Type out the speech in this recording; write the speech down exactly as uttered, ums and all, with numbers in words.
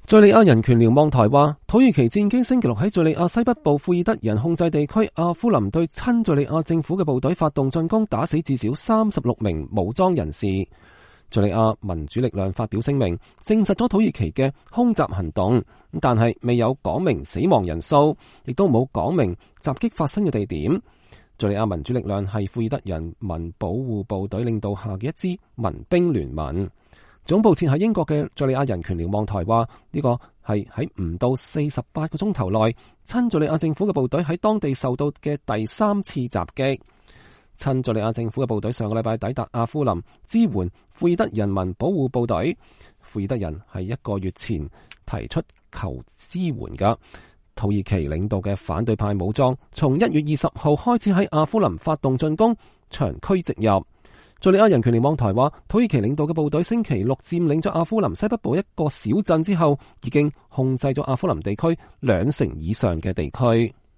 敘利亞人權瞭望台話，土耳其戰機星期六喺敘利亞西北部庫爾德人控制地區阿夫林對親敘利亞政府嘅部隊發動進攻，打死至少三十六名武裝人士。敘利亞民主力量發表聲明，證實咗土耳其嘅空襲行動，但係未有講明死亡人數，亦都冇講明襲擊發生嘅地點。敘利亞民主力量係庫爾德人民保護部隊領導下嘅一支民兵聯盟。總部設喺英國嘅敘利亞人權瞭望台話，呢個係喺唔到四十八個鐘頭內，親敘利亞政府嘅部隊喺當地受到嘅第三次襲擊。親敘利亞政府嘅部隊上個禮拜抵達阿夫林，支援庫爾德人民保護部隊。庫爾德人係一個月前提出求支援噶。土耳其領導嘅反對派武裝從一月二十號開始喺阿夫林發動進攻，長驅直入。敘利亞人權瞭望台話，土耳其領導嘅部隊星期六佔領咗阿夫林西北部一個小鎮之後，已經控制咗阿夫林地區兩成以上嘅地區。